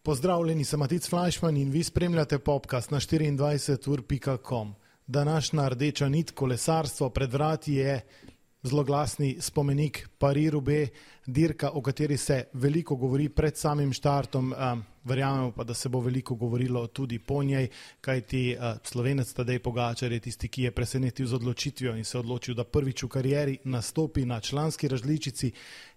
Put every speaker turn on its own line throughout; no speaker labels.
Pozdravljeni, sem Matic Fleischmann in vi spremljate podcast na 24ur.com. Današnja rdeča nit kolesarstvo pred vrati je zloglasni spomenik Paris-Roubaix, dirka, o kateri se veliko govori pred samim štartom, verjamemo pa, da se bo veliko govorilo tudi po njej, kajti Slovenec Tadej Pogačar je tisti, ki je presenetil z odločitvijo in se odločil, da prvič v karieri nastopi na članski različici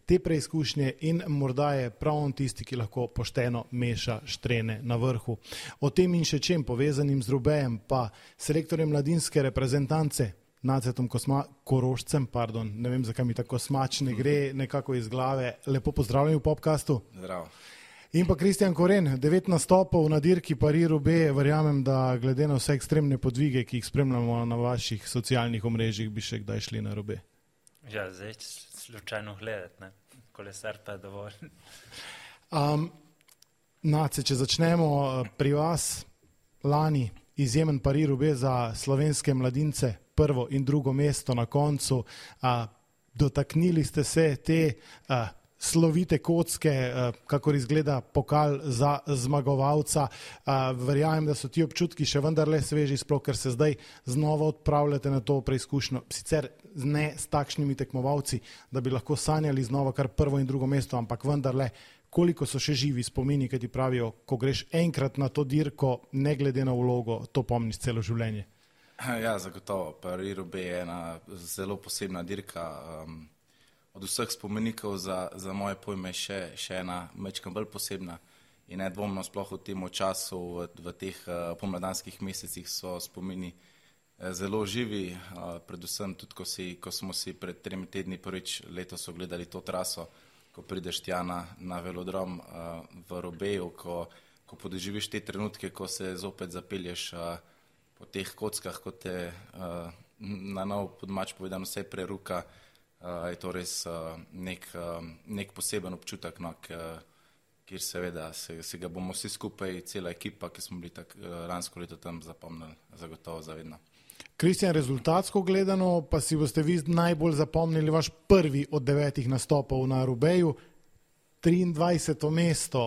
te preizkušnje in morda je prav on tisti, ki lahko pošteno meša štrene na vrhu. O tem in še čem povezanim z Roubaixem pa selektorjem mladinske reprezentance Nacetom Korošcem, ne vem, zakaj mi tako smačne gre nekako iz glave. Lepo pozdravljeni v podcastu.
Zdravo.
In pa Kristjan Koren, 9 nastopov na dirki Paris-Roubaix, verjamem, da glede na vse ekstremne podvige, ki jih spremljamo na vaših socialnih omrežjih, bi še kdaj šli na Roubaix.
Ja, zdaj slučajno gledati, ne? Kolesar pa je dovolj.
Nace, če začnemo pri vas, lani izjemen Paris-Roubaix za slovenske mladince, prvo in drugo mesto na koncu. Dotaknili ste se te slovite kocke, kakor izgleda pokal za zmagovalca. Verjamem, da so ti občutki še vendarle sveži, sploh ker se zdaj znova odpravljate na to preizkušnjo. Sicer ne s takšnimi tekmovalci, da bi lahko sanjali znova kar prvo in drugo mesto, ampak vendarle, koliko so še živi spomini, ki ti pravijo, ko greš enkrat na to dirko, ne glede na vlogo, to pomniš celo življenje.
Ja, zagotovo. Paris-Roubaix je ena zelo posebna dirka. Od vseh spomenikov za moje pojme še ena majčkeno bolj posebna in nedvomno sploh v tem času, v teh pomladanskih mesecih so spomini zelo živi, predvsem tudi, ko smo si pred 3 tedni prvič letos ogledali to traso, ko prideš tja na velodrom v Roubaixu, ko podoživiš te trenutke, ko se zopet zapelješ po teh kockah, ko te na nov podmač povedano vse preruka, je to res nek poseben občutek, kjer seveda si ga bomo vsi skupaj, cela ekipa, ki smo bili lansko leto tam zapomnili, zagotovo zavedno.
Kristjan, rezultatsko gledano pa si boste vi najbolj zapomnili vaš prvi od 9 nastopov na Roubaixu, 23. mesto,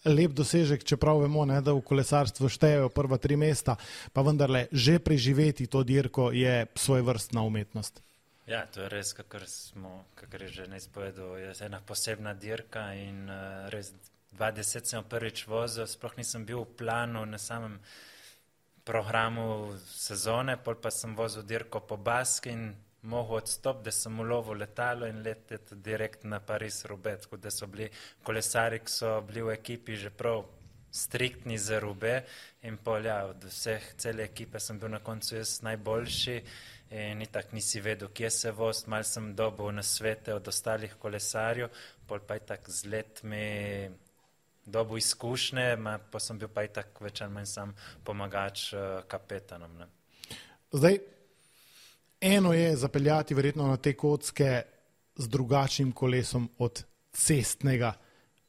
lep dosežek, čeprav vemo, da v kolesarstvu štejejo prva 3 mesta, pa vendarle že preživeti to dirko je svojevrstna umetnost.
Ja, to je res, kakor je že neizpovedal, je ena posebna dirka in res 20 sem prvič vozil, sploh nisem bil v planu na samem programu sezone, pol pa sem vozil dirko po Baski in mogel odstop, da sem ulovil letalo in leteti direkt na Paris-Roubaix, tako da so bili kolesari, ki so bili v ekipi že prav striktni za Roubaix in pol od vseh cele ekipe sem bil na koncu jaz najboljši in itak nisi vedel, kje se voz, malo sem dobil nasvete od ostalih kolesarjev, pol pa itak z letmi dobil izkušnje, pa sem bil pa itak več ali manj sam pomagač kapetanom. Ne?
Zdaj, eno je zapeljati verjetno na te kocke z drugačnim kolesom od cestnega,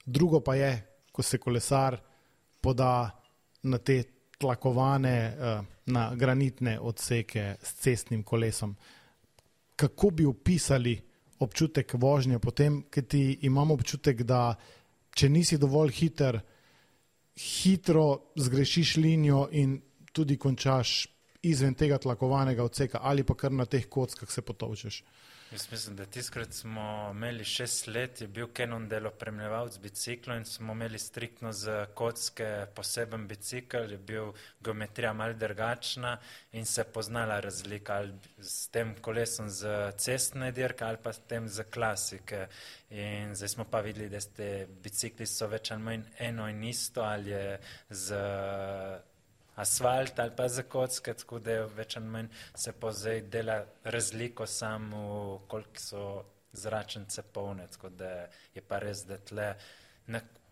drugo pa je, ko se kolesar poda na te tlakovane, na granitne odseke s cestnim kolesom. Kako bi opisali občutek vožnje potem, ker ti imamo občutek, da če nisi dovolj hiter, hitro zgrešiš linijo in tudi končaš izven tega tlakovanega odseka ali pa kar na teh kockah se potovčeš.
Jaz mislim, da tiskrat smo imeli 6 let, je bil Cannondale opremljevalec biciklo in smo imeli striktno za kocke poseben bicikl, je bil geometrija malo drugačna in se poznala razlika ali s tem kolesom za cestne dirke ali pa s tem za klasike. In zdaj smo pa videli, da te bicikli so več ali manj eno in isto, ali je z asfalt ali pa za kocke, tako da več ali manj se pa zdaj dela razliko samo, koliko so zračnice polne, tako da je pa res, da tle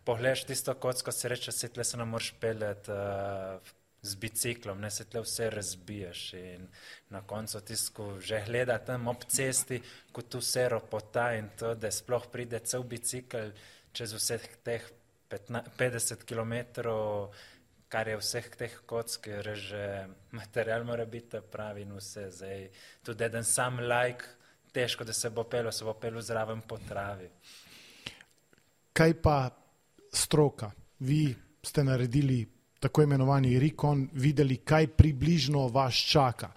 pogledaš tisto kocko, se reče, se tle se ne moreš peljati z biciklom, ne, se tle vse razbiješ in na koncu tisto, že gleda tam ob cesti, kot vse ropota in to, da sploh pride cel bicikl čez vseh teh 50 kilometrov, kar je vseh teh kock, ker že material mora biti pravi in vse. Zdaj, tudi eden sam težko, da se bo pelil zraven po travi.
Kaj pa stroka. Vi ste naredili tako imenovani recon, videli, kaj približno vas čaka.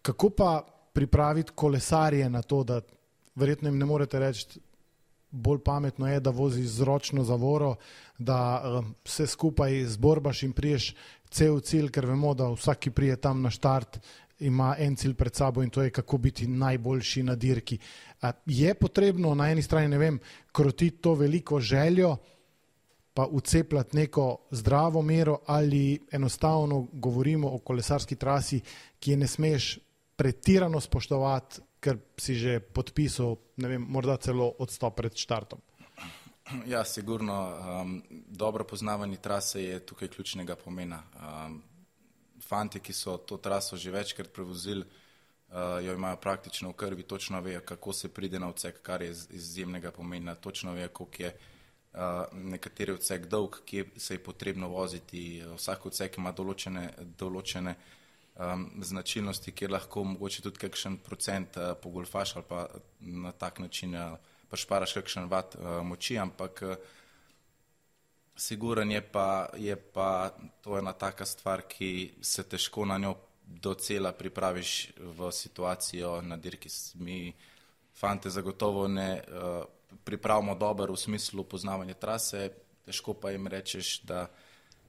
Kako pa pripraviti kolesarje na to, da verjetno jim ne morete reči, bolj pametno je, da vozi z ročno zavoro, da vse skupaj zborbaš in priješ cel cilj, ker vemo, da vsak, ki prije tam na štart, ima en cilj pred sabo in to je, kako biti najboljši na dirki. Je potrebno na eni strani, ne vem, krotiti to veliko željo, pa ucepljati neko zdravo mero ali enostavno govorimo o kolesarski trasi, ki je ne smeš pretirano spoštovati, ker si že podpisal, ne vem, morda celo odstop pred štartom.
Ja, sigurno. Dobro poznavanje trase je tukaj ključnega pomena. Fanti, ki so to traso že večkrat prevozili, jo imajo praktično v krvi, točno vejo, kako se pride na odsek, kar je izjemnega pomena, točno vejo, koliko je nekateri odsek dolg, kje se je potrebno voziti. Vsak odsek ima določene značilnosti, kjer lahko mogoče tudi kakšen procent pogolfaš ali pa na tak način šparaš kakšen vat moči, ampak siguren je pa to ena taka stvar, ki se težko na njo docela pripraviš v situacijo na dirki. Mi fante zagotovo ne pripravimo dobro v smislu poznavanja trase, težko pa jim rečeš, da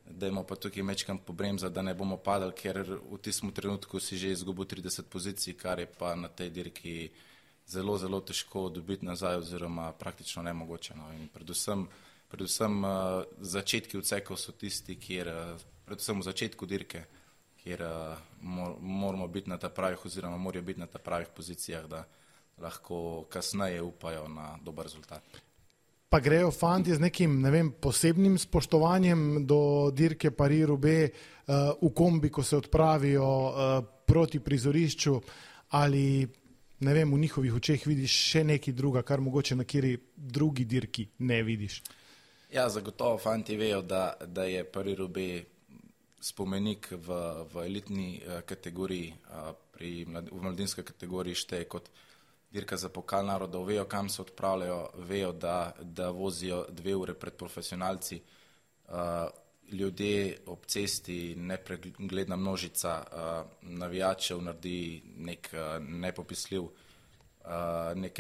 dajmo pa tukaj mečkam pobremza, da ne bomo padali, ker v tistem trenutku si že izgubil 30 pozicij, kar je pa na tej dirki zelo, zelo težko dobiti nazaj oziroma praktično nemogoče. No. In predvsem začetki odsekov so tisti, predvsem v začetku dirke, kjer moramo biti na ta pravih oziroma morajo biti na ta pravih pozicijah, da lahko kasneje upajo na dober rezultat.
Pa grejo fanti z nekim, ne vem, posebnim spoštovanjem do dirke Paris-Roubaix v kombi, ko se odpravijo proti prizorišču, ali ne vem, v njihovih očeh vidiš še nekaj druga, kar mogoče na kateri drugi dirki ne vidiš?
Ja, zagotovo fanti vejo, da je Paris-Roubaix spomenik v elitni kategoriji, v mladinski kategoriji šteje kot dirka za pokal narodov, vejo, kam se odpravljajo, vejo, da vozijo 2 ure pred profesionalci. Ljudje ob cesti, nepregledna množica navijačev naredi neke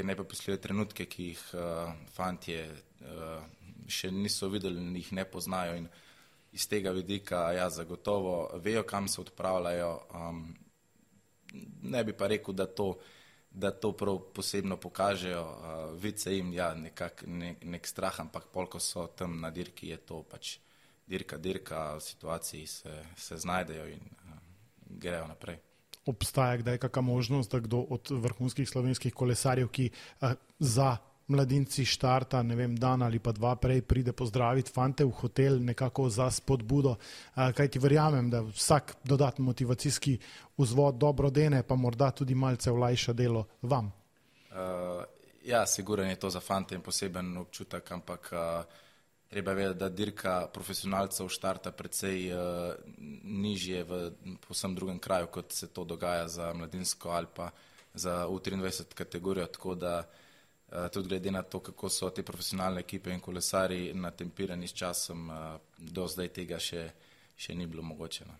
nepopisljive trenutke, ki jih fantje še niso videli in jih ne poznajo. In iz tega vidika, ja, zagotovo vejo, kam se odpravljajo. Ne bi pa rekel, da to prav posebno pokažejo, vidi se jim nek strah, ampak pol, ko so tam na dirki, je to pač dirka, v situaciji se znajdejo in grejo naprej.
Obstaja kdaj kakšna možnost, da kdo od vrhunskih slovenskih kolesarjev, ki za mladinci štarta, ne vem, dan ali pa 2 prej pride pozdraviti fante v hotel nekako za spodbudo, kajti verjamem, da vsak dodatni motivacijski vzvod dobro dene, pa morda tudi malce olajša delo vam.
Ja, sigurno je to za fante in poseben občutek, ampak treba vedeti, da dirka profesionalcev štarta precej nižje v povsem drugem kraju, kot se to dogaja za mladinsko ali pa za U23 kategorijo, tako da tudi glede na to, kako so te profesionalne ekipe in kolesari natempirani s časom, do zdaj tega še ni bilo mogoče. No.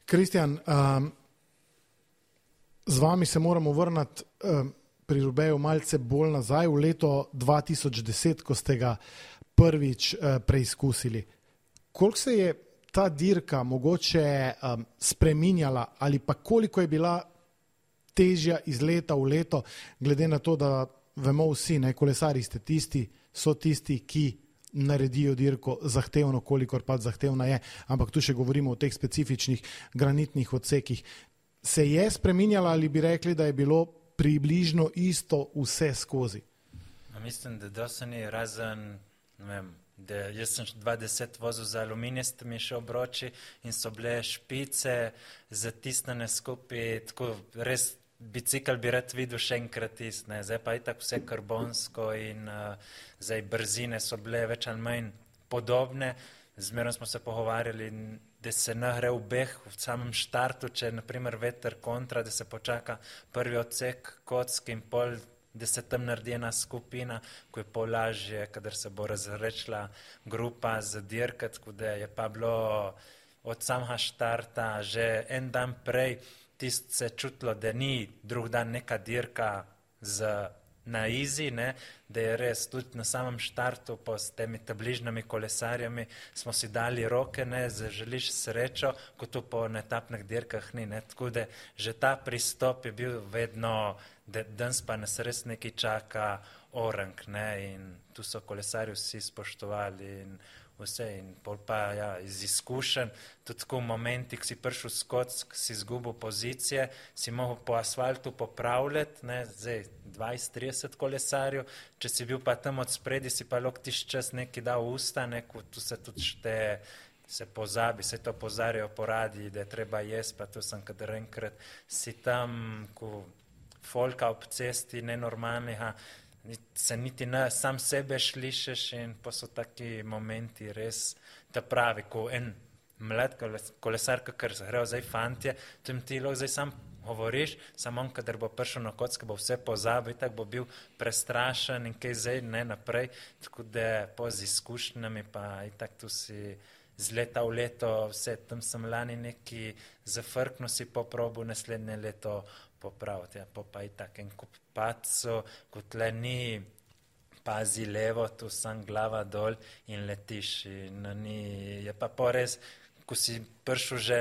Kristjan, z vami se moramo vrniti pri Roubaixu malce bolj nazaj v leto 2010, ko ste ga prvič preizkusili. Koliko se je ta dirka mogoče spreminjala ali pa koliko je bila težja iz leta v leto, glede na to, da vemo vsi, ne, kolesari so tisti, ki naredijo dirko zahtevno, kolikor pa zahtevna je, ampak tu še govorimo o teh specifičnih granitnih odsekih. Se je spreminjala ali bi rekli, da je bilo približno isto vse skozi?
Mislim, da dosti ni razen, ne vem, da jaz sem 2010 vozil za aluminijastimi še obroči in so bile špice zatisnjene skupaj, tako res bicikl bi rad videl še enkrat tisne, zdaj pa je tako vse karbonsko in zdaj brzine so bile več ali manj podobne. Zmerno smo se pogovarjali, da se ne gre v beh v samem štartu, če je naprimer veter kontra, da se počaka prvi odsek kock in pol da se tam naredi ena skupina, ko je pol lažje, kadar se bo razrečila grupa za dirka, tako da je pa bilo od samega štarta že en dan prej tisto se čutilo, da ni drug dan neka dirka na izi, ne, da je res tudi na samem štartu po s temi tabližnimi kolesarjami smo si dali roke, ne, želiš srečo, kot to po etapnih dirkah ni, ne, tako da že ta pristop je bil vedno, da danes pa nas res nekaj čaka orang, ne, in tu so kolesarji vsi spoštovali in vse in pol pa ja, iz izkušenj, tudi tako v momenti, ko si prišel s kock, si izgubil pozicije, si mogel po asfaltu popravljati, ne, zdaj 20-30 kolesarjev, če si bil pa tam od spredi, si pa lahko tiš čas nekaj dal v usta, neko, tu se tudi šteje, se pozabi, se to pozarjajo po radiji, da je treba jesti, pa tu sem kadar enkrat si tam, ko folka ob cesti nenormalnega, se niti ne sam sebe šlišeš in pa so taki momenti res ta pravi, ko en mlad kolesar, kakor grejo zdaj fantje, tem ti lahko zdaj sam govoriš, samo on, kadar bo prišel na kocko, bo vse pozabil, tako bo bil prestrašen in kaj zdaj ne naprej, tako da po z izkušnjami pa itak tu si z leta v leto, vse, tam sem lani neki zafrkno si poprobil, naslednje leto popraviti, ja, pa itak en kup pacov, kot tle ni pazi levo, tu sam glava dol in letiš in ni, je pa res, ko si prišel že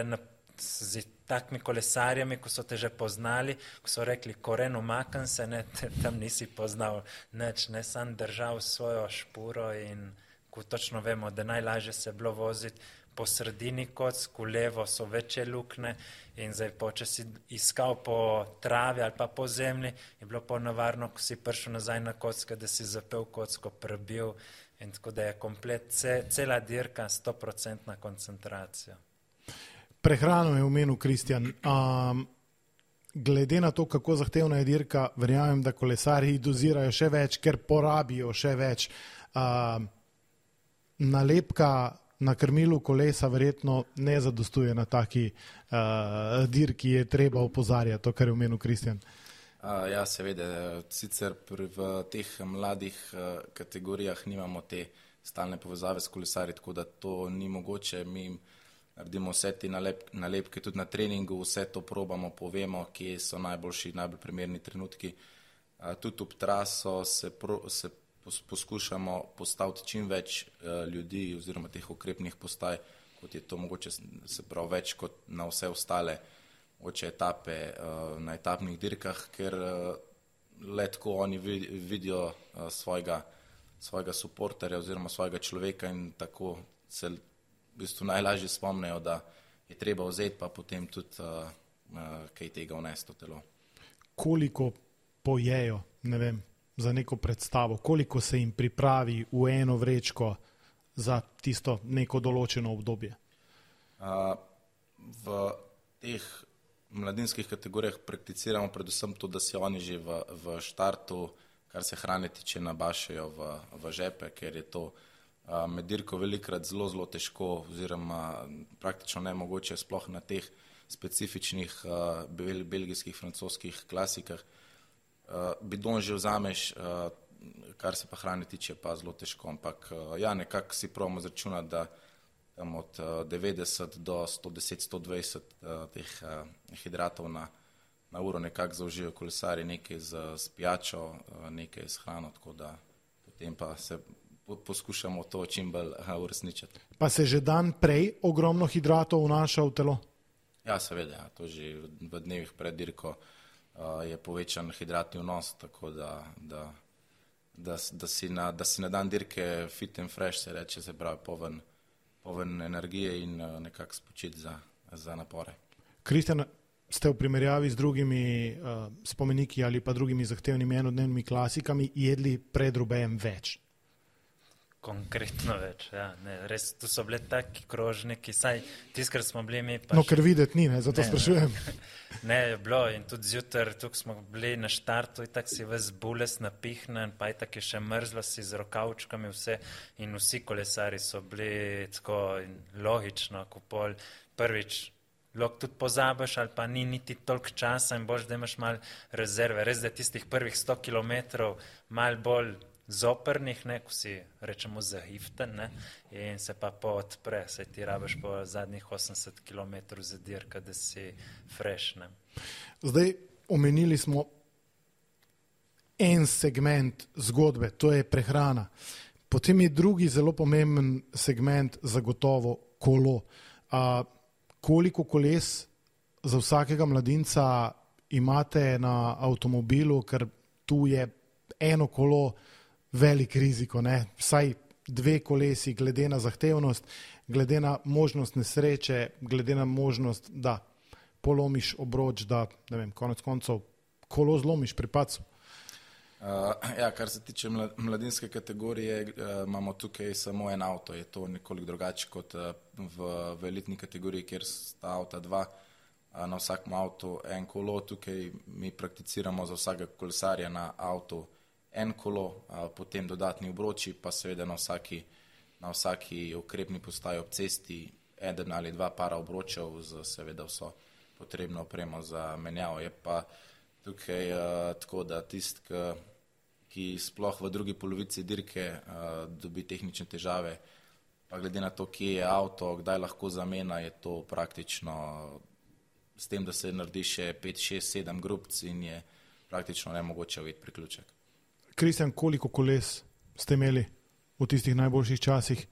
z takimi kolesarjami, ko so te že poznali, ko so rekli, koren umakam se, ne, tam nisi poznal nič, ne, sam držal svojo špuro in ko točno vemo, da najlažje se je bilo voziti po sredini kock, v levo so večje lukne in zdaj če si iskal po travi ali pa po zemlji, je bilo nevarno, ko si prišel nazaj na kocko, da si zapel kocko, prebil in tako da je komplet, cela dirka 100% koncentracija.
Prehrano je omenil Kristjan. Glede na to, kako zahtevna je dirka, verjamem, da kolesarji dozirajo še več, ker porabijo še več. Nalepka na krmilu kolesa verjetno ne zadostuje na taki dirki, je treba opozarjati to, kar je omenil Kristjan.
Ja, seveda, sicer v teh mladih kategorijah nimamo te stalne povezave s kolesarji, tako da to ni mogoče, mi naredimo vse te nalepke, tudi na treningu, vse to probamo, povemo, kje so najboljši, najbolj primerni trenutki. Tudi ob traso se poskušamo postaviti čim več ljudi oziroma teh ukrepnih postaj, kot je to mogoče, se pravi več kot na vse ostale mogoče etape na etapnih dirkah, ker le tako oni vidijo svojega suporterja oziroma svojega človeka in tako se v bistvu najlažje spomnejo, da je treba vzeti pa potem tudi kaj tega vnesti v telo.
Koliko pojejo, ne vem, za neko predstavo, koliko se jim pripravi v eno vrečko za tisto neko določeno obdobje?
V teh mladinskih kategorijah prakticiramo predvsem to, da si oni že v štartu, kar se hrane tiče, nabašajo v žepe, ker je to med dirko velikrat zelo težko oziroma praktično nemogoče sploh na teh specifičnih belgijskih, francoskih klasikah. Bidon že vzameš, kar se pa hrane tiče, pa zelo težko, ampak ja, nekako si probamo zračunati, da tam od 90 do 110-120 teh hidratov na uro nekako zaužijo kolesari, nekaj z pijačo, nekaj s hrano, tako da potem pa se poskušamo to čim bolj uresničiti.
Pa se že dan prej ogromno hidratov vnaša v telo? Ja,
seveda, to že v dnevih pred dirko je povečan hidratni vnos, tako da si na dan dirke fit and fresh, se reče, se pravi poln energije in nekako spočit za napore.
Kristjan, ste v primerjavi z drugimi spomeniki ali pa drugimi zahtevnimi enodnevnimi klasikami jedli pred Roubaixem več?
Konkretno več, ja. Ne, res, tu so bile taki krožniki, saj tiskrat smo bili mi pa...
No, ker videti ni, ne, zato sprašujem.
Ne, je bilo in tudi zjutraj, tukaj smo bili na štartu, itak si ves bules napihnen, pa itak je še mrzlo si z rokavčkami vse in vsi kolesari so bili tako logično, ko pol prvič lahko tudi pozabiš ali pa ni niti toliko časa in boš, da imaš malo rezerve. Res, da je tistih prvih 100 kilometrov malo bolj zoprnih, ne, ko si rečemo zahiften, ne, in se pa odpre, saj ti rabiš po zadnjih 80 kilometrov za dirka, da si fresh, ne.
Zdaj, omenili smo en segment zgodbe, to je prehrana. Potem je drugi zelo pomemben segment zagotovo kolo. Koliko koles za vsakega mladinca imate na avtomobilu, ker tu je eno kolo velik riziko, ne? Vsaj 2 kolesi glede na zahtevnost, glede na možnost nesreče, glede na možnost, da polomiš obroč, da, ne vem, konec koncev kolo zlomiš pri padcu.
Ja, kar se tiče mladinske kategorije, imamo tukaj samo en avto, je to nekoliko drugače kot v elitni kategoriji, kjer sta avta 2, na vsakem avtu en kolo, tukaj mi prakticiramo za vsakega kolesarja na avtu en kolo, potem dodatni obroči, pa seveda na vsaki ukrepni postaji ob cesti 1 ali 2 para obročev z seveda vso potrebno opremo za menjavo. Je pa tukaj tako, da tisti, ki sploh v drugi polovici dirke dobi tehnične težave, pa glede na to, kje je avto, kdaj lahko zamena, je to praktično s tem, da se naredi še 5, 6, 7 grupc in je praktično nemogoče ujeti priključek.
Kristjan, koliko koles ste imeli v tistih najboljših časih?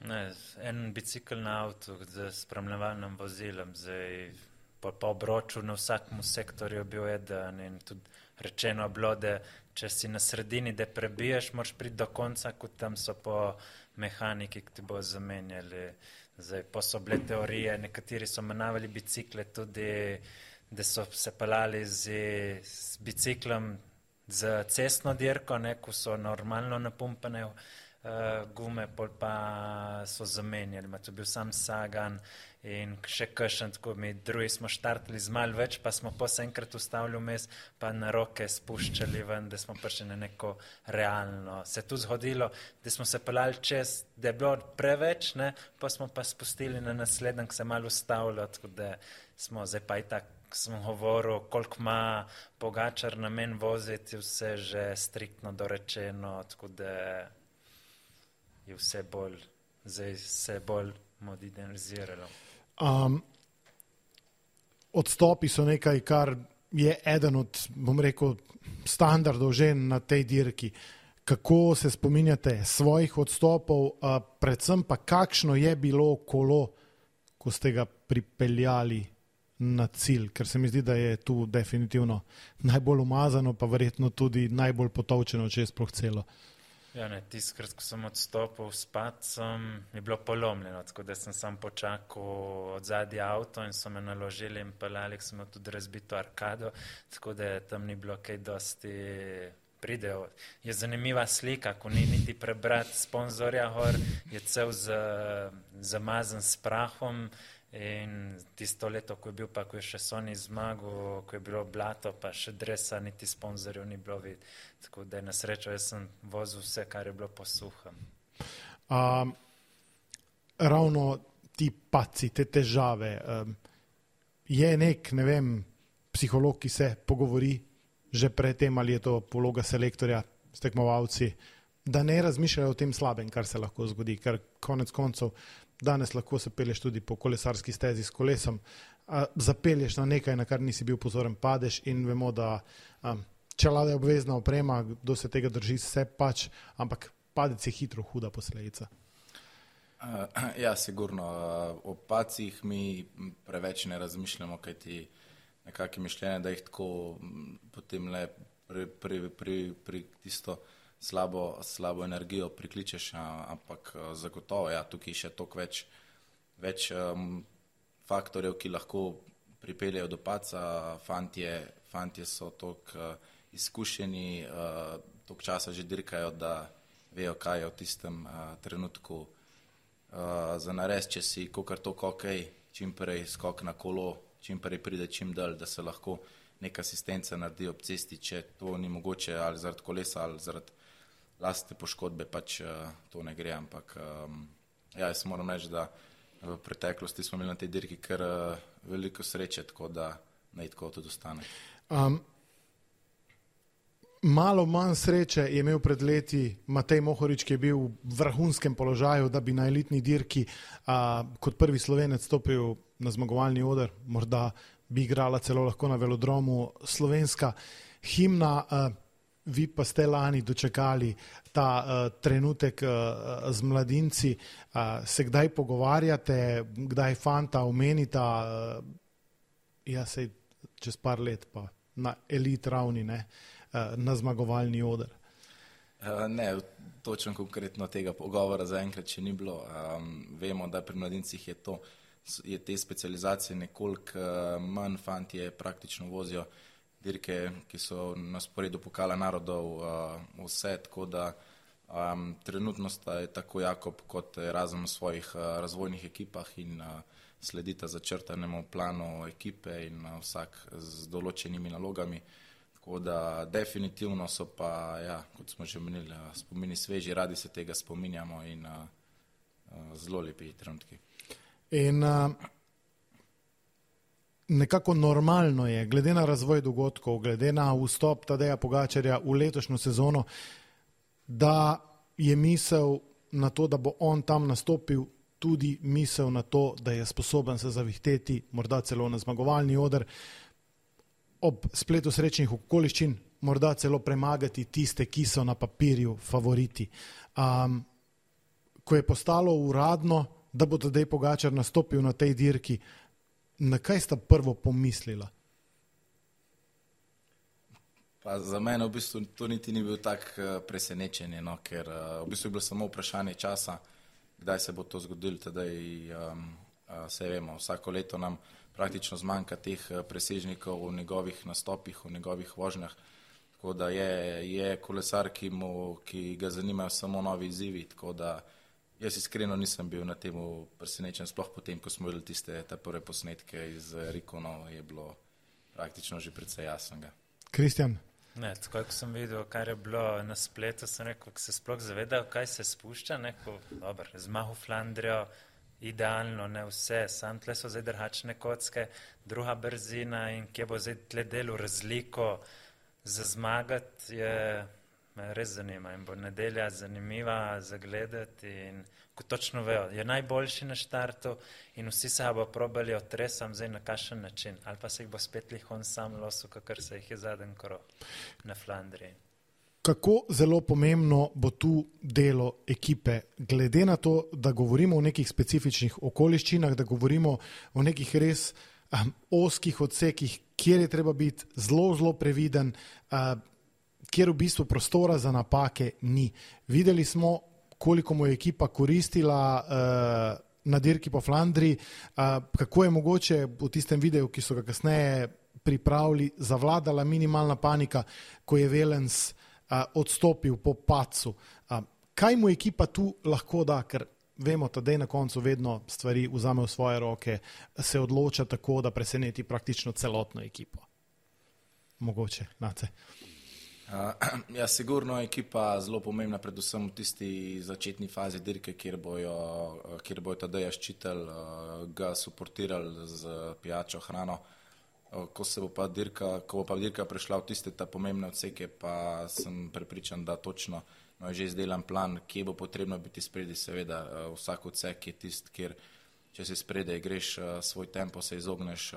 Ne, en bicikl na avtu z spremljevalnim vozilom, zdaj po obroču na vsakem sektorju je bil eden in tudi rečeno bilo, da če si na sredini, da prebiješ, moraš priti do konca, kot tam so po mehaniki, ki ti bo zamenjali. Zdaj, pa so bile teorije, nekateri so menavali bicikle tudi, da so se pelali z biciklom za cestno dirko, ne, ko so normalno napumpane gume, pol pa so zamenjali. To je bil sam Sagan in še kakšen, tako mi drugi smo štartali z malo več, pa smo pa se enkrat ustavili vmes, pa na roke spuščali ven, da smo prišli na neko realno. Se je tu zgodilo, da smo se pelali čez, da je bilo preveč, ne, pa smo pa spustili na naslednjem, ki se malo ustavilo, tako da smo zdaj pa i tak, sem govoril, koliko ima Pogačar namen voziti, vse že striktno dorečeno, tako da je vse bolj, zdaj se bolj moderniziralo.
Odstopi so nekaj, kar je eden od, bom rekel, standardov že na tej dirki. Kako se spominjate svojih odstopov, predvsem pa kakšno je bilo kolo, ko ste ga pripeljali na cilj, ker se mi zdi, da je tu definitivno najbolj umazano, pa verjetno tudi najbolj potovčeno, če je sploh celo.
Ja, ne, tiskrat, ko sem odstopil s padcem, je bilo polomljeno, tako da sem sam počakal od zadnji avto in so me naložili in pelali, sem imel tudi razbito arkado, tako da tam ni bilo kaj dosti pridejo. Je zanimiva slika, ko ni niti prebrati sponzorja gor, je cel zamazan s prahom in tisto leto, ko je bil pa, ko je še Sony zmagal, ko je bilo blato, pa še dresa, niti sponzorjev ni bilo videti. Tako da je na srečo, jaz sem vozil vse, kar je bilo po suhem.
Ravno ti padci, te težave, je nek, ne vem, psiholog, ki se pogovori že predtem, ali je to vloga selektorja s tekmovalci, da ne razmišljajo o tem slabem, kar se lahko zgodi, ker konec koncev danes lahko se pelješ tudi po kolesarski stezi s kolesom, zapelješ na nekaj, na kar nisi bil pozoren, padeš in vemo, da čelada je obvezna oprema, kdo se tega drži, se pač, ampak padec je hitro huda posledica.
Ja, sigurno. O padcih mi preveč ne razmišljamo, kajti nekako mišljenje, da jih tako potem le pri tisto slabo energijo prikličeš, ampak zagotovo, ja, tukaj še toliko več faktorjev, ki lahko pripeljejo do padca. Fantje so toliko izkušeni, toliko časa že dirkajo, da vejo, kaj je v tistem trenutku za nares, če si kakor toliko okej, čim prej skok na kolo, čim prej pride čim dalj, da se lahko neka asistenca naredi ob cesti, če to ni mogoče ali zaradi kolesa ali zaradi lastne poškodbe, pač to ne gre, ampak ja, jaz moram reči, da v preteklosti smo imeli na tej dirki kar veliko sreče, tako da naj tako tudi ostane.
Malo manj sreče je imel pred leti Matej Mohorič, ki je bil v vrhunskem položaju, da bi na elitni dirki kot prvi Slovenec stopil na zmagovalni oder, morda bi igrala celo lahko na velodromu slovenska himna. Vi pa ste lani dočekali ta trenutek z mladinci. Se kdaj pogovarjate, kdaj fanta omenita, sej čez par let pa na elit ravni, ne, na zmagovalni oder?
Ne, točno konkretno tega pogovora zaenkrat še ni bilo. Vemo, da pri mladincih je te specializacije nekoliko manj, fantje praktično vozijo dirke, ki so na sporedu pokala narodov vse, tako da trenutno sta tako Jakob kot Erasmus v svojih razvojnih ekipah in sledita začrtanemu planu ekipe in vsak z določenimi nalogami. Tako da definitivno so pa, kot smo že menili, spomini sveži, radi se tega spominjamo in zelo lepi trenutki.
In nekako normalno je, glede na razvoj dogodkov, glede na vstop Tadeja Pogačarja v letošnjo sezono, da je misel na to, da bo on tam nastopil, tudi misel na to, da je sposoben se zavihteti, morda celo na zmagovalni oder, ob spletu srečnih okoliščin, morda celo premagati tiste, ki so na papirju favoriti. Ko je postalo uradno, da bo Tadej Pogačar nastopil na tej dirki, na kaj sta prvo pomislila?
Pa za mene v bistvu to niti ni bil tak presenečenje, no, ker v bistvu je bilo samo vprašanje časa, kdaj se bo to zgodilo. Tadej, se vemo, vsako leto nam praktično zmanjka teh presežnikov v njegovih nastopih, v njegovih vožnjah, tako da je kolesar, ki ga zanimajo samo novi izzivi, tako da jaz iskreno nisem bil na temu presenečen, sploh potem, ko smo videli te prve posnetke iz Rikonov, je bilo praktično že precej jasnega.
Kristjan?
Ne, tako ko sem videl, kar je bilo na spletu, sem rekel, ko se sploh zavedal, kaj se spušča, zmahu Flandrijo, idealno, ne vse, sam tle so zdaj drhačne kocke, druga brzina in kje bo zdaj tle delu razliko za zmagati, me res zanima in bo nedelja zanimiva za gledati in ko točno vejo, je najboljši na štartu in vsi se bo probali otresam zdaj na kakšen način, ali pa se jih bo spet lihon sam losu, kakor se jih je zadnji krog na Flandriji.
Kako zelo pomembno bo tu delo ekipe, glede na to, da govorimo o nekih specifičnih okoliščinah, da govorimo o nekih res ozkih odsekih, kjer je treba biti zelo previden, kjer v bistvu prostora za napake ni. Videli smo, koliko mu je ekipa koristila na dirki po Flandriji, kako je mogoče v tistem videu, ki so ga kasneje pripravili, zavladala minimalna panika, ko je Wellens odstopil po padcu. Kaj mu ekipa tu lahko da, ker vemo, da na koncu vedno stvari vzame v svoje roke, se odloča tako, da preseneti praktično celotno ekipo. Mogoče, Nace.
Sigurno je ekipa zelo pomembna, predvsem v tisti začetni fazi dirke, kjer bojo Tadeja ščitili, ga suportirali z pijačo, hrano. Ko bo pa dirka prešla v tiste ta pomembne odseke, pa sem prepričan, da točno je že izdelan plan, kje bo potrebno biti spredi. Seveda, vsak odsek je tist, kjer če si spredaj greš svoj tempo, se izogneš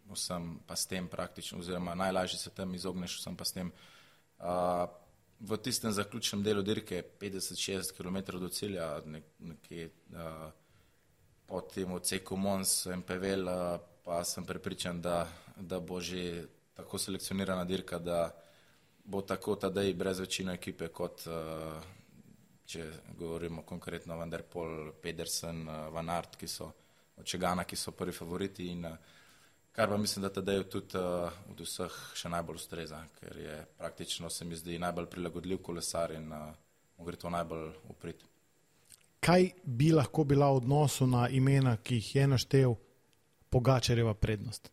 vsem pa s tem praktično, oziroma najlažje se tam izogneš vsem pa s tem. V tistem zaključnem delu dirke 50-60 km do cilja, nekje po tem odseku Mons, MPVL, pa sem prepričan, da bo že tako selekcionirana dirka, da bo tako Tadej brez večino ekipe, kot če govorimo konkretno Van der Poel, Pedersen, Van Aert, od Čegana, ki so prvi favoriti in kar pa mislim, da Tadeju tudi od vseh še najbolj ustreza, ker je praktično, se mi zdi, najbolj prilagodljiv kolesar in mu gre to najbolj v prid.
Kaj bi lahko bila v odnosu na imena, ki jih je naštel, Pogačarjeva prednost?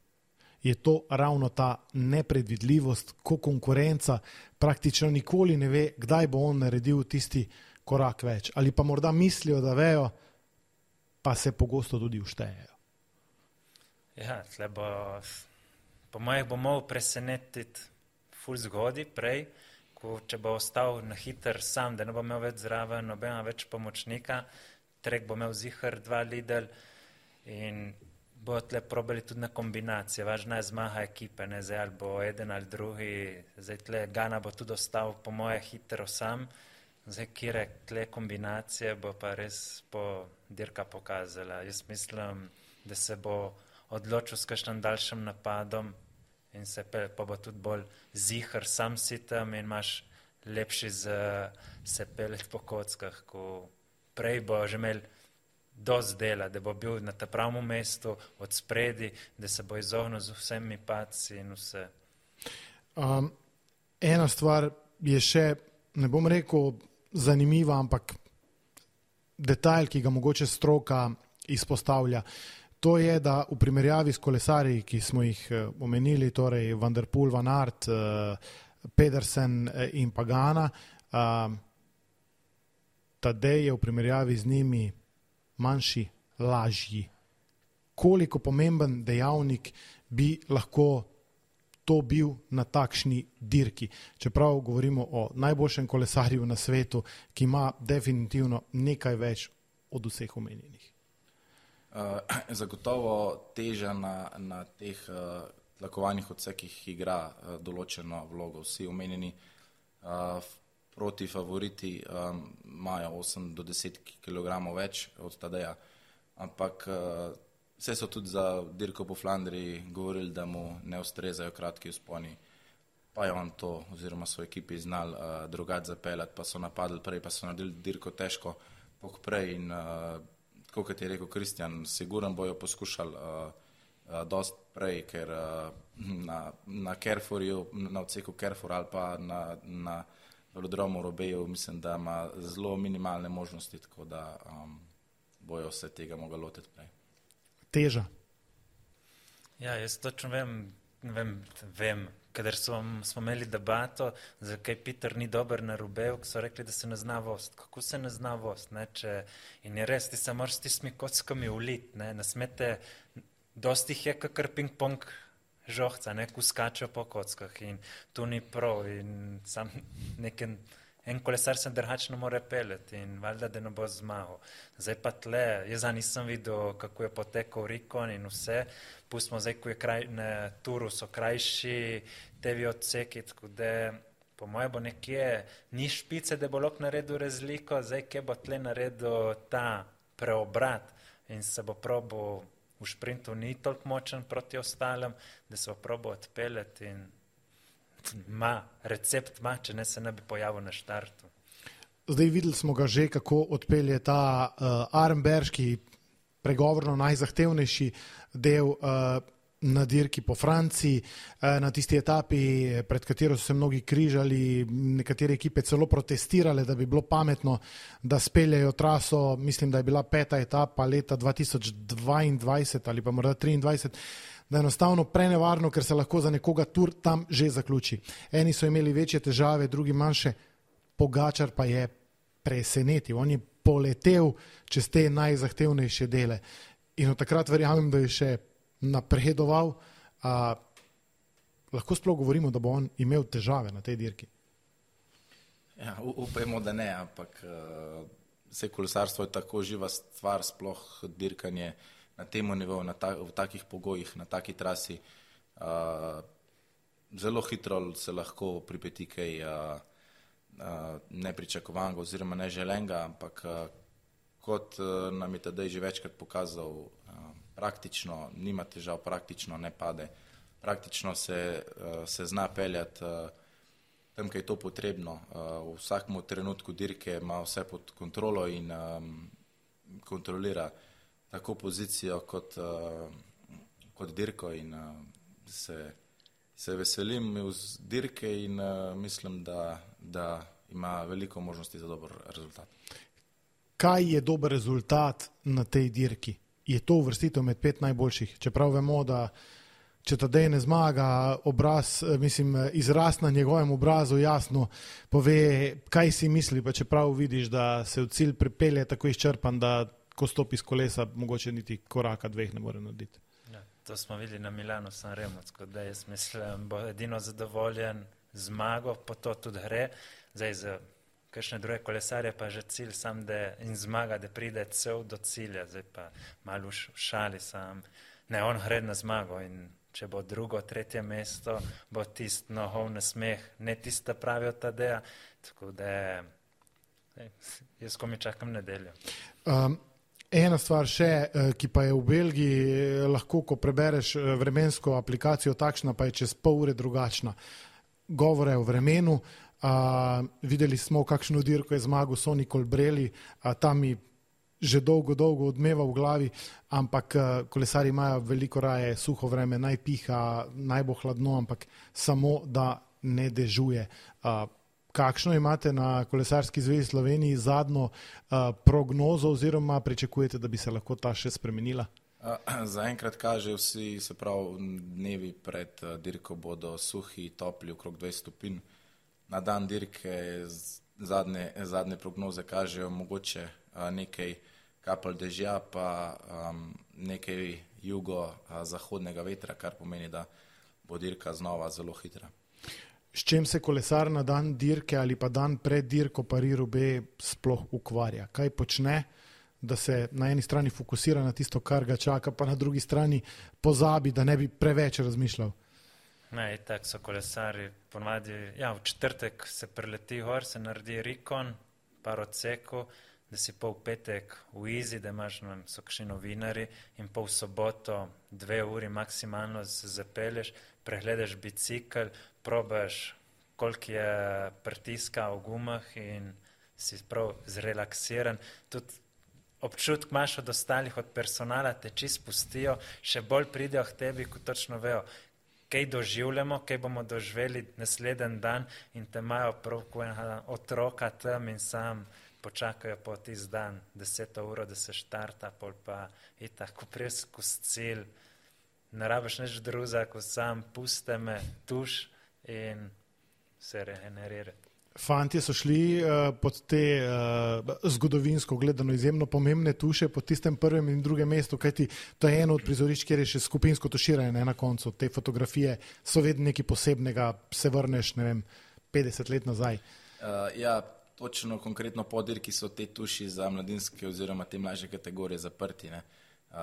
Je to ravno ta nepredvidljivost, ko konkurenca praktično nikoli ne ve, kdaj bo on naredil tisti korak več? Ali pa morda mislijo, da vejo, pa se pogosto tudi vštejejo.
Ja, tle bo, po mojih bo mogel presenetiti ful zgodi prej, če bo ostal na hiter sam, da ne bo imel več zraven, nobena več pomočnika, Trek bo imel zihar 2 Lidl in bo tle probali tudi na kombinacije. Važna je zmaga ekipe, ne zdaj ali bo eden ali drugi, zdaj tle Gana bo tudi ostal po moje hitro sam, zdaj kire tle kombinacije bo pa res dirka pokazala. Jaz mislim, da se bo odločil s kakšnim daljšim napadom in pa bo tudi bolj zihar, sam si tam in imaš lepši se pelet po kockah, ko prej bo že imel dosti dela, da bo bil na ta pravem mestu od spredi, da se bo izognil z vsemi padci in vse.
Ena stvar je še, ne bom rekel zanimiva, ampak detajl, ki ga mogoče stroka izpostavlja. To je, da v primerjavi s kolesarji, ki smo jih omenili, torej Van der Poel, Van Aert, Pedersen in Pagana, Tadej je v primerjavi z njimi manjši, lažji. Koliko pomemben dejavnik bi lahko to bil na takšni dirki? Čeprav govorimo o najboljšem kolesarju na svetu, ki ima definitivno nekaj več od vseh omenjenih.
Zagotovo teža na teh tlakovanih odsekih igra določeno vlogo. Vsi omenjeni proti favoriti imajo 8 do 10 kg več od Tadeja, ampak vse so tudi za dirko po Flandriji govorili, da mu ne ustrezajo kratki vzponi, pa je on to oziroma svoji ekipi znal drugače zapeljati, pa so napadli prej, pa so naredili dirko težko prej in kot je rekel Kristjan, siguran bojo poskušali dosti prej, ker na Carrefourju, na odseku Carrefour ali pa na velodromu Roubaixu mislim, da ima zelo minimalne možnosti, tako da bojo se tega mogli lotiti prej.
Teža?
Ja, jaz točno vem, kadar smo imeli debato, zakaj Peter ni dober na Roubaixu, ko so rekli, da se ne zna vost. Kako se ne zna vost? In je res, ti se moraš s tistimi kockami uliti, ne smete, dosti jih je kakor ping-pong žohca, ko skačejo po kockah in to ni prav in sam en kolesar se drugačno mora peljati in valjda, da ne bo zmagal. Zdaj pa tle, jaz nisem videl, kako je potekal Rikon in vse, pustimo zdaj, ko je na Turu so krajši tevi odseki, tako da po moje bo nekje ni špice, da bo lahko naredil razliko, zdaj kje bo tle naredil ta preobrat in se bo probal v šprintu ni toliko močen proti ostalim, da se bo probal odpeljati in recept ima, če ne se ne bi pojavil na štartu.
Zdaj videli smo ga že, kako odpelje ta Arenberški, pregovorno najzahtevnejši del na dirki po Franciji, na tisti etapi, pred katero so se mnogi križali, nekatere ekipe celo protestirale, da bi bilo pametno, da speljajo traso, mislim, da je bila 5. etapa leta 2022 ali pa morda 2023, da je enostavno prenevarno, ker se lahko za nekoga tur tam že zaključi. Eni so imeli večje težave, drugi manjše, Pogačar pa je presenetil. On je poletel čez te najzahtevnejše dele. In od takrat verjamem, da je še napredoval. Lahko sploh govorimo, da bo on imel težave na tej dirki?
Ja, upajmo, da ne, ampak vse kolesarstvo je tako živa stvar, sploh dirkanje na tem nivoju, v takih pogojih, na taki trasi. Zelo hitro se lahko pripeti kaj nepričakovanega oziroma neželenega, ampak kot nam je Tadej že večkrat pokazal, praktično nima težav, praktično ne pade, praktično se zna peljati tam, kaj je to potrebno. V vsakem trenutku dirke ima vse pod kontrolo in kontrolira tako pozicijo kot dirko in se veselim iz dirke in mislim, da ima veliko možnosti za dober rezultat.
Kaj je dober rezultat na tej dirki? Je to uvrstitev med 5 najboljših? Čeprav vemo, da če Tadej ne zmaga, izraz na njegovem obrazu jasno pove, kaj si misli, pa čeprav vidiš, da se v cilj pripelje tako izčrpan, da ko stopi z kolesa, mogoče niti koraka dveh ne more narediti.
Ja, to smo videli na Milanu Sanremo, tako da jaz mislim, bo edino zadovoljen zmago, po to tudi gre. Zdaj za kakšne druge kolesarje pa že cilj sam, da in zmaga, da pride cel do cilja. Zdaj pa malo v šali sam. Ne, on gre na zmago in če bo drugo, tretje mesto, bo tist nohov nasmeh, ne tista pravi od Tadeja, tako da jaz komi čakam nedeljo.
Ena stvar še, ki pa je v Belgiji lahko, ko prebereš vremensko aplikacijo takšna, pa je čez pol ure drugačna. Govore o vremenu, videli smo, kakšno dirko je zmagal Sonny Colbrelli, tam mi že dolgo odmeva v glavi, ampak kolesari imajo veliko raje suho vreme, naj piha, naj bo hladno, ampak samo da ne dežuje. Kakšno imate na Kolesarski zvezi Sloveniji zadnjo prognozo oziroma pričakujete, da bi se lahko ta še spremenila?
Zaenkrat kaže vsi, se pravi, dnevi pred dirko bodo suhi, topli, okrog 20 stopinj. Na dan dirke zadnje prognoze kažejo mogoče nekaj kapelj dežja, pa nekaj jugo-zahodnega vetra, kar pomeni, da bo dirka znova zelo hitra.
S čem se kolesar na dan dirke ali pa dan pred dirko Paris-Roubaix sploh ukvarja? Kaj počne, da se na eni strani fokusira na tisto, kar ga čaka, pa na drugi strani pozabi, da ne bi preveč razmišljal?
Ne, tako so kolesari ponavadi, v četrtek se preleti gor, se naredi rikon, par odsekov, da si pol petek v izi, da imaš, so kakšni novinari, in pol soboto 2 uri maksimalno se zapelješ, pregledaš bicikl, probaš, koliko je pritiska v gumah in si prav zrelaksiran. Tudi občutek imaš od ostalih, od personala, te čisto spustijo, še bolj pridejo k tebi, ko točno vejo, kaj doživljamo, kaj bomo doživeli naslednji dan in te imajo prav kot enega otroka tam in sam počakajo po tisti dan 10 uro, da se štarta, pol pa itak, ko priješ skozi cilj, ne rabiš nič drugega, ko sam puste me, tuš in se regenerirati.
Fantje so šli pod te zgodovinsko gledano izjemno pomembne tuše pod tistem prvem in drugem mestu, kajti to je eno od prizorišč, kjer je še skupinsko tuširanje na koncu. Te fotografije so vedno nekaj posebnega, se vrneš, 50 let nazaj.
Točno konkretno po dirki so te tuši za mladinske oziroma te mlajše kategorije zaprti.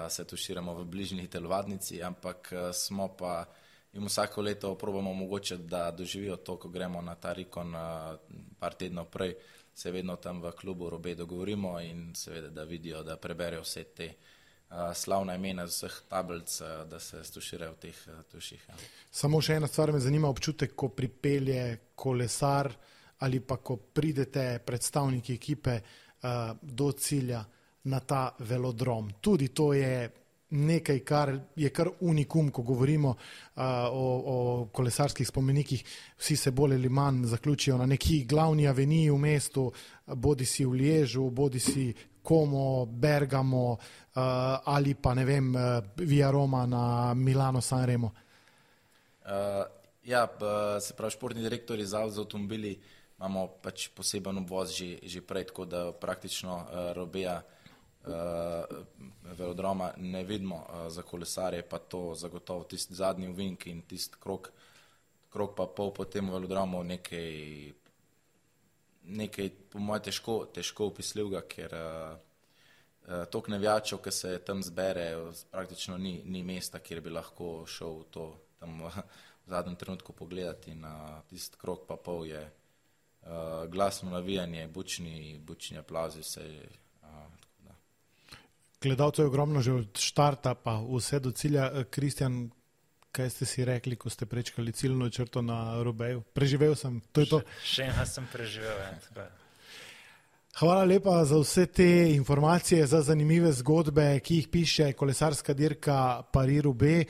Se tuširamo v bližnji telovadnici, ampak smo pa jim vsako leto probamo omogočiti, da doživijo to, ko gremo na ta rikon par tednov prej, se vedno tam v klubu Roubaix dogovorimo in seveda, da vidijo, da preberejo vse te slavna imena z vseh tablic, da se stuširajo v teh tuših.
Samo še ena stvar me zanima, občutek, ko pripelje kolesar ali pa ko pridete predstavniki ekipe do cilja na ta velodrom. Tudi to je nekaj, kar je kar unikum, ko govorimo o kolesarskih spomenikih. Vsi se bolj ali manj zaključijo na neki glavni aveniji v mestu, bodi si v Liežu, bodi si Como, Bergamo ali pa ne vem, Via Roma na Milano Sanremo.
Se pravi, športni direktori za avtomobili imamo pač poseben obvoz že prej, tako da praktično Roubaix velodroma ne vidimo za kolesarje, pa to zagotovo tisti zadnji ovink in tisti krog pa pol po tem velodromu nekaj po moje težko opisljivega, ker toliko navijačev, ki se tam zbere, praktično ni mesta, kjer bi lahko šel to tam v zadnjem trenutku pogledati in tisti krog pa pol je glasno navijanje, bučni aplauzi, vse.
Gledalcev je ogromno že od štarta pa vse do cilja. Kristjan, kaj ste si rekli, ko ste prečkali ciljno črto na Roubaixu? Preživel sem, to je to.
Še ena sem preživel.
Hvala lepa za vse te informacije, za zanimive zgodbe, ki jih piše kolesarska dirka Paris-Roubaix.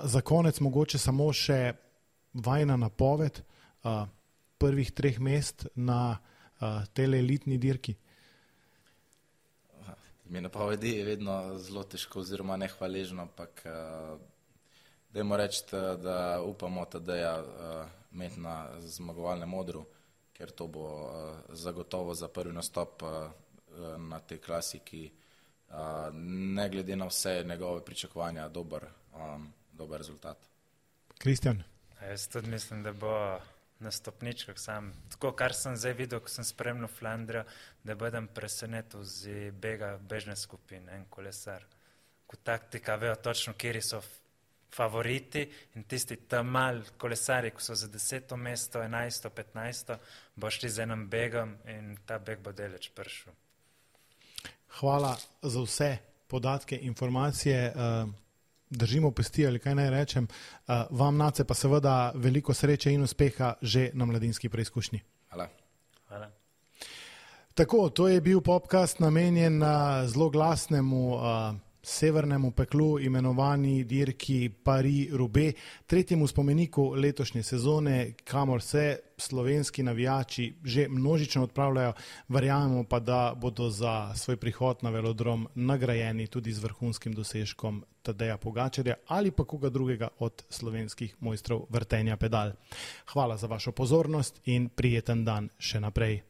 Za konec mogoče samo še vajna napoved prvih 3 mest na tele elitni dirki.
Mi napovedi je vedno zelo težko oziroma nehvaležno, ampak dajmo reči, da upamo Tadeja imeti na zmagovalnem odru, ker to bo zagotovo za prvi nastop na tej klasiki ne glede na vse njegove pričakovanja, dober rezultat.
Kristjan?
Jaz tudi mislim, da bo na stopničkah sam. Tako, kar sem zdaj videl, ko sem spremljal Flandrijo, da budem presenetil z bežne skupine, en kolesar. Ko taktika vejo točno, kjeri so favoriti in tisti tam mal kolesari, ko so za 10. mesto, 11., 15., bo šli z enim begom in ta beg bo deleč prišel.
Hvala za vse podatke, informacije. Držimo pesti, ali kaj naj rečem. Vam, Nace, pa seveda veliko sreče in uspeha že na mladinski preizkušnji.
Hvala.
Tako, to je bil podcast namenjen zelo glasnemu severnemu peklu imenovani dirki Paris-Roubaix, tretjemu spomeniku letošnje sezone, kamor se slovenski navijači že množično odpravljajo. Verjamemo pa, da bodo za svoj prihod na velodrom nagrajeni tudi z vrhunskim dosežkom Tadeja Pogačarja ali pa koga drugega od slovenskih mojstrov vrtenja pedal. Hvala za vašo pozornost in prijeten dan še naprej.